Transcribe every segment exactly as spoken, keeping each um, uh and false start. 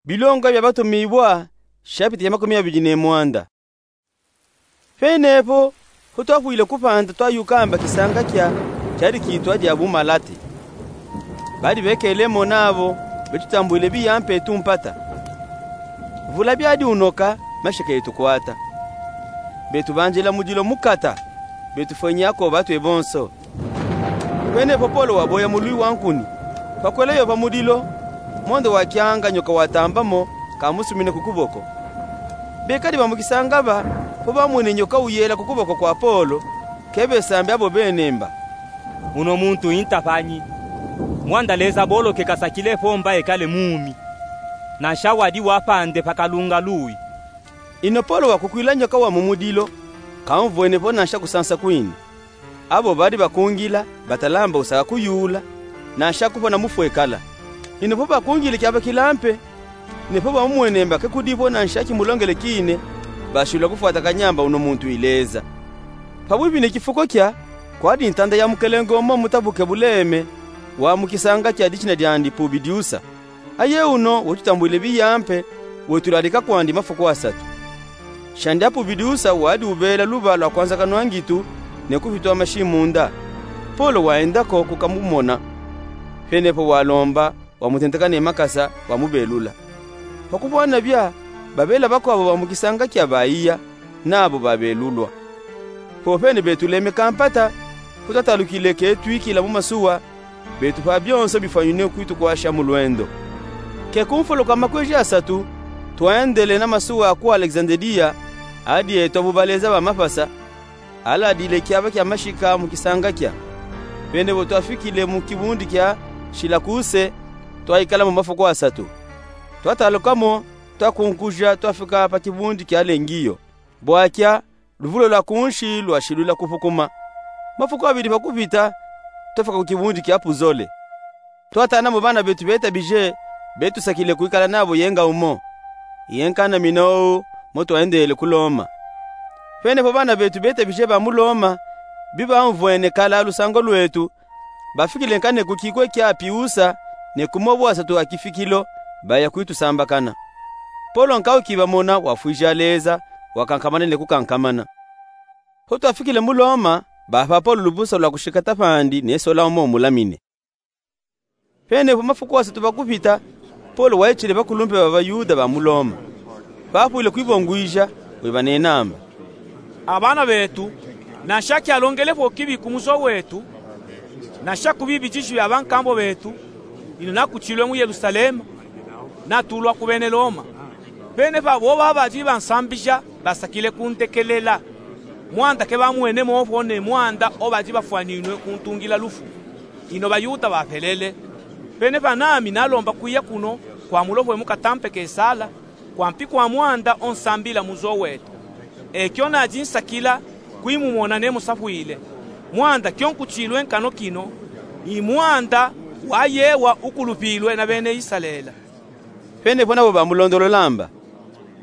Bilonga bia Batumibua, shapita ya makumi abidi ne mwanda. Penepo, ho twafwile kupanda twayukamba kisanga kia, kiadi kitwa dia Bumalate. Badi bekele mo nabo, betutambwile biya mpe tumpata. Vula biadi unoka, mashika yetukwata. Betubanjila mudilo mukata, betufwenya ko batwe bonso. Penepo Polo waboya mulwi wa nkuni, twakwela yo pa mudilo, mondo wa kianga nyoka watamba mo, kamusumine ku kuboko. Bekadi ba mu kisanga ba, po bamwene nyoka uyela ku kuboko kwa Polo, ke besambi abo bene mba: Uno muntu inta panyi. Mwanda Leza boloke kasakile po mba ekale mumi. Nansha wadi wapande pa kalunga luwi. Ino Polo wakukwila nyoka wa mu mudilo, kaumvwene po nansha kusansa kwini. Abo badi bakungila, batalamba usaka kuyula, nansha kupona mufwekala. Ino po bakungile kiabakila mpe, ne po bamumwene mba ke kudi po nansha kimulongele kine, bashilula kufwata kanyamba uno muntu ileza. Pa bwibi ne kifuko kia, kwadi ntanda ya mukelenge umo mutabuke buleme, wa mu kisanga kia dishina diandi Pubidiusa. Aye uno wetutambwile biya mpe, wetulalika kwandi mafuku asatu. Shandi a Pubidiusa wadi ubela luba lwa kwanzakanwa ngitu, ne kufitwa mashi munda. Polo waenda ko kukamumona. Penepo walomba, wamutentekane makasa, wamubelula. Pa kubwana bia, babela bakwabo ba mu kisanga kia baiya, nabo babelulwa. Popene betuleme kampata, po twatalukile ke twikila mu masuwa, betupa bionso bifwanyinwe kwitukwasha mu lwendo. Ke ku mfolo kwa makweji asatu, twendele na masuwa ku Alexandria, adi etwa bu baleza ba mapasa, aladile kiaba kia mashika mu kisanga kia. Penepo twafikile mu kibundi kia Silakuse, twaikala mo mafuku asatu. Twataluka mo, twakunkuja, twafika pa kibundi kia Lengiyo. Bwakia, luvula lwa kunshi lwashilula kupukuma. Mafuku abidi pa kupita, twafika ku kibundi kia Puzole. Twatana mo bana betu betabije, betusakile kwikala nabo yenga umo. Yenka na mina ou, mo twendele ku Loma. Penepo bana betu betabije ba mu Loma, bibamvwene kala lusango lwetu, bafikile nkane ku kikwe kia Apiusa, ne ku mo bwasatu a kifikilo, baya kwitusambakana. Polo nkawu kibamona wafwija leza, wakankamana ne kukankamana. Ho twafikile mu Loma, bapa Polo lubusa lwa kushikata pandi ne sola umo mulamine. Penepo mafuku asatu pa kupita, Polo waitile bakulumpe ba baYuda ba mu Loma. Bapwile kwibongwija, webanena mba: Abana betu, nansha kialongele po kibi ku muzo wetu, nansha ku bibi diji bia bankambo betu, ino nakutilwe mu Yelusalema, natulwa ku bene Loma. Penepo abo babadi bansambija basakile kundekelela. Mwanda ke bamwene mo po ne mwanda o badi bafwaninwe kuntungila lufu. Ino baYuda bapelele. Penepo nami nalomba kwiya kuno kwa mulofwe mu katampe Kesala, kwa mpi kwa mwanda o nsambila muzo wetu. Ekio nadi nsakila kwimumona ne musafwile. Mwanda kio nkutilwe nkano kino, i mwanda wa yewa ukulupilwe na bene Isalele. Penepo nabo bamulondolola mba: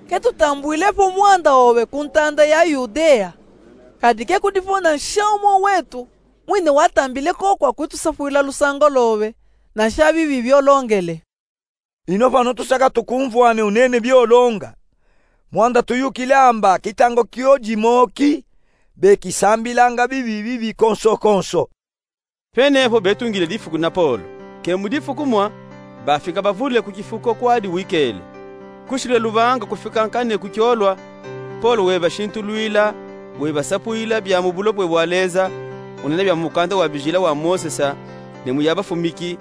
Ke tutambwile po mwanda obe ku ntanda ya Yudea, kadi ke kudi po nansha umo wetu mwine watambile ko kwa kwitusafwila lusango lobe, nansha bibi biolongele. Ino pano tusaka tukumvwane unene biolonga. Mwanda tuyukile amba kitango kio dimo ki, bekisambilanga bibi bibi konso konso. Penepo betungile difuku na Polo. Ke mu difuku mwa, bafika bavule ku kifuko kwadi wikele. Kushile lubanga kufika nkane ku kiolwa, Polo webashintulwila, webasapwila bia mu bulopwe bwa Leza, unena bia mu mukanda wa bijila wa Mosesa, ne mu ya bafumiki,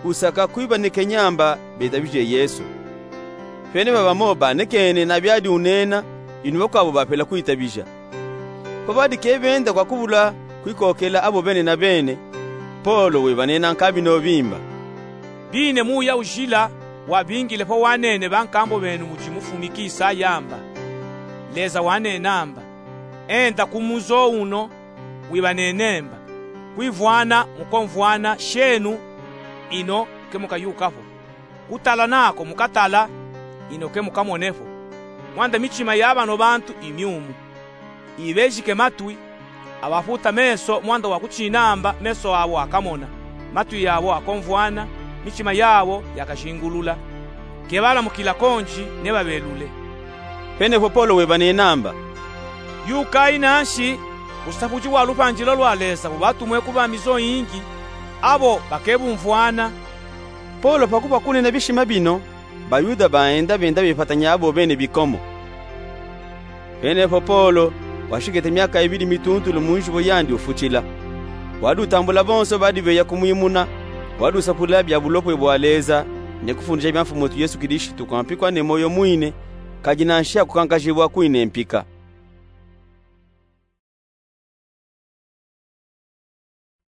usaka kwibanekenya mba betabije Yesu. Penepo bamo banekene na biadi unena, ino bakwabo bapela kwitabija. Po badi ke benda kwa kubula kwikokela abo bene na bene, Polo webanena nkambi nobi mba: Bine muya ujila wabingile po wanene bankambo benu mudi mufumiki Isaya mba: Leza wanena mba: Enda ku muzo uno, wibanene mba, kwivwana mukomvwana shenu, ino ke mukayuka po. Kutala nako mukatala, ino ke mukamone po. Mwanda mitima ya bano bantu imiumu. Ibejike matwi, abafuta meso mwanda wa kutina mba meso abo akamona, matwi yabo akomvwana, mitima yabo yakajingulula. Kebalamukila konji, nebabelule: Pene po Polo weba nenamba: Yukayi nanshi ku sapudji wa lupandilo lwa Leza, ubatumwe ku bamizo yingi, abo bakebumvwana. Polo pa kuba kunena bishima bino, baYuda baenda benda bepatanya abo bene bikomo. Pene po Polo washikete miaka ibili mituntulu mu njibo yandi ufutshila. Wadi utambula bonso badi beya kumwimuna, wadi usapula bia bulokwe bwa Leza, ne kufundisha bia Mfumu wetu Yesu Kilistu kwa mpikwa ne moyo mwine, kadi nanshi akukankajibwa kwine mpika.